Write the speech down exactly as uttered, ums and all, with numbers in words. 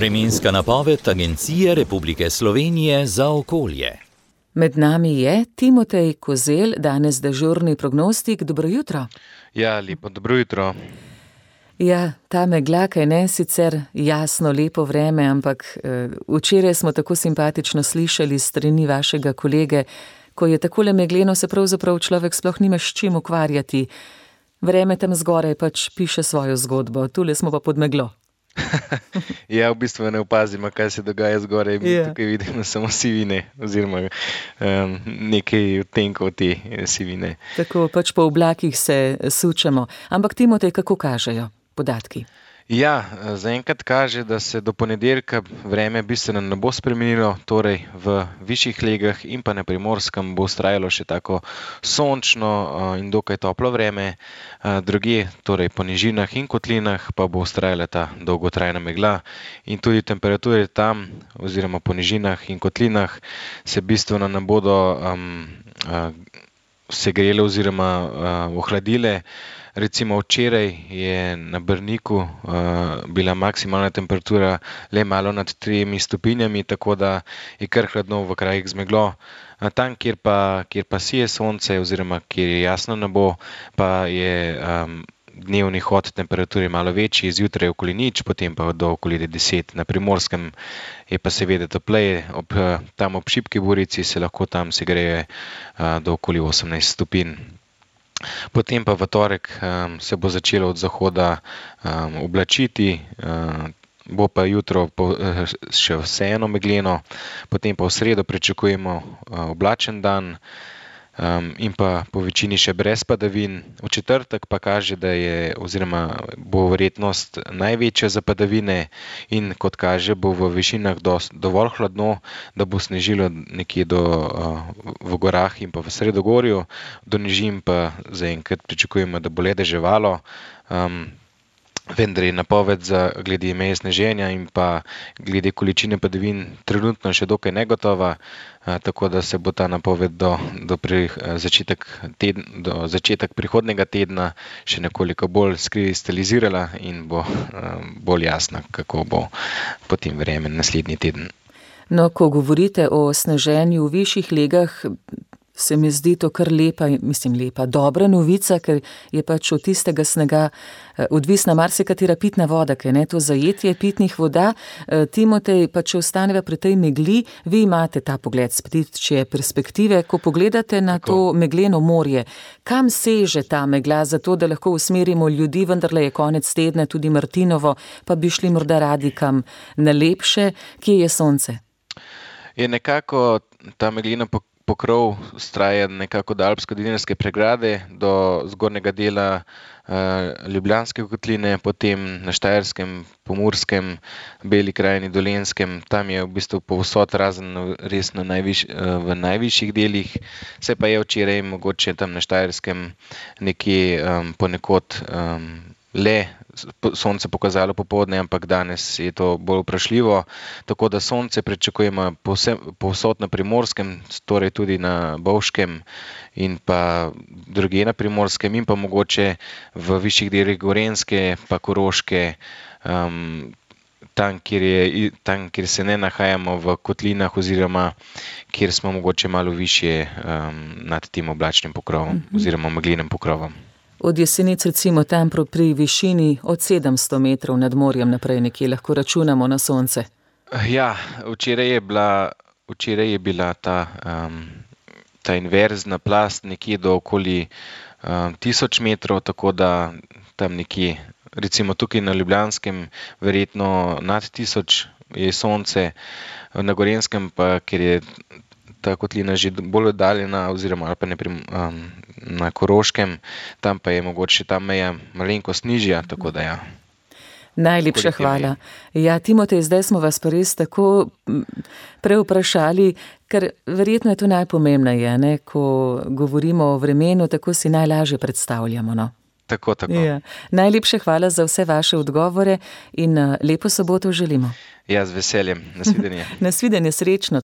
Vremenska napoved Agencije Republike Slovenije za okolje. Med nami je Timotej Kozelj, danes dežurni prognostik. Dobro jutro. Ja, lepo dobro jutro. Ja, ta megla, kaj ne, sicer jasno, lepo vreme, ampak eh, včeraj smo tako simpatično slišali s strani vašega kolege, ko je takole megleno, se pravzaprav človek sploh nima s čim ukvarjati. Vreme tam zgoraj pač piše svojo zgodbo, tule smo pa pod meglo. Ja, v bistvu ne opazimo, kaj se dogaja zgoraj, Ja. tukaj vidimo samo sivine oziroma um, nekaj odtenkov te sivine. Tako pač po oblakih se sučemo. Ampak Timotej, kako kažejo podatki? Ja, zaenkrat kaže, da se do ponedeljka vreme bistveno ne bo spremenilo, torej v višjih legah in pa na Primorskem bo vztrajalo še tako sončno uh, in dokaj toplo vreme, uh, drugje, torej po nižinah in kotlinah pa bo vztrajala ta dolgotrajna megla in tudi temperature tam oziroma po nižinah in kotlinah se bistveno ne bodo um, uh, segrele oziroma uh, ohladile. Recimo včeraj je na Brniku uh, bila maksimalna temperatura le malo nad tremi stopinjami, tako da je kar hladno v krajih z meglo. A tam, kjer pa, kjer pa sije sonce oziroma kjer je jasno nebo, pa je um, dnevni hod temperature malo večji, zjutraj okoli nič, potem pa do okoli deset. Na Primorskem je pa seveda topleje, ob, tam ob šibki burici se lahko tam segreje uh, do okoli osemnajst stopinj. Potem pa v torek um, se bo začelo od zahoda um, oblačiti, um, bo pa jutro po, uh, še vseeno megleno, potem pa v sredo pričakujemo uh, oblačen dan um, in pa po večini še brez padavin. V četrtek pa kaže, da je oziroma bo verjetnost največja za padavine in kot kaže, bo v višinah dost, dovolj hladno, da bo snežilo nekje do, uh, v gorah in pa v sredogorju, do nižin pa zaenkrat pričakujemo, da bo le deževalo. Um, vendar je napoved za glede meje sneženja in pa glede količine padavin trenutno še dokaj negotova, a, tako da se bo ta napoved do, do, pri, začetek tedn, do začetek prihodnega tedna še nekoliko bolj skristalizirala in bo a, bolj jasna, kako bo potem vreme naslednji teden. No, ko govorite o sneženju v višjih legah, se mi zdi to kar lepa, mislim lepa, dobra novica, ker je pač od tistega snega odvisna marsikatera pitna voda, ker ne to zajetje pitnih voda. Timotej, pa če ostaneva pri tej megli, vi imate ta pogled s ptičje perspektive, ko pogledate na Tako. to megleno morje. Kam seže ta megla, zato da lahko usmerimo ljudi, vendarle je konec tedna tudi Martinovo, pa bi šli morda radi kam na lepše, kje je sonce? Je nekako ta meglina pokrov vztraja nekako do Alpsko-Dinarske pregrade, do zgornjega dela uh, Ljubljanske kotline, potem na Štajerskem, Pomurskem, Beli krajini, Dolenjskem. Tam je v bistvu povsod razen res na najviš, uh, v najvišjih delih. Se pa je včeraj mogoče tam na Štajerskem nekje um, ponekod um, le sonce pokazalo popoldne, ampak danes je to bolj vprašljivo, tako da sonce pričakujemo povsod na Primorskem, torej tudi na Bovškem in pa drugje na Primorskem in pa mogoče v višjih delih Gorenjske pa Koroške, um, tam, kjer je, tam, kjer se ne nahajamo v kotlinah oziroma kjer smo mogoče malo višje um, nad tem oblačnim pokrovom mm-hmm. oziroma meglenim pokrovom. Od Jesenic recimo tam pri višini od sedemsto metrov nad morjem naprej nekje lahko računamo na sonce. Ja, včeraj je bila, včeraj je bila ta, um, ta inverzna plast nekje do okoli um, tisoč metrov, tako da tam nekje, recimo tukaj na Ljubljanskem, verjetno nad tisoč je sonce, na Gorenjskem pa, ker je ta kotlina že bolj oddaljena oziroma ali pa ne prim, um, na Koroškem, tam pa je mogoče ta meja malenkost nižja, tako da ja. Najlepša hvala. Ja, Timotej, zdaj smo vas pa res tako prevprašali, ker verjetno je to najpomembneje, ne? Ko govorimo o vremenu, tako si najlažje predstavljamo, no? Tako, tako. Ja. Najlepša hvala za vse vaše odgovore in lepo soboto želimo. Ja, z veseljem. Nasvidenje. Nasvidenje, srečno.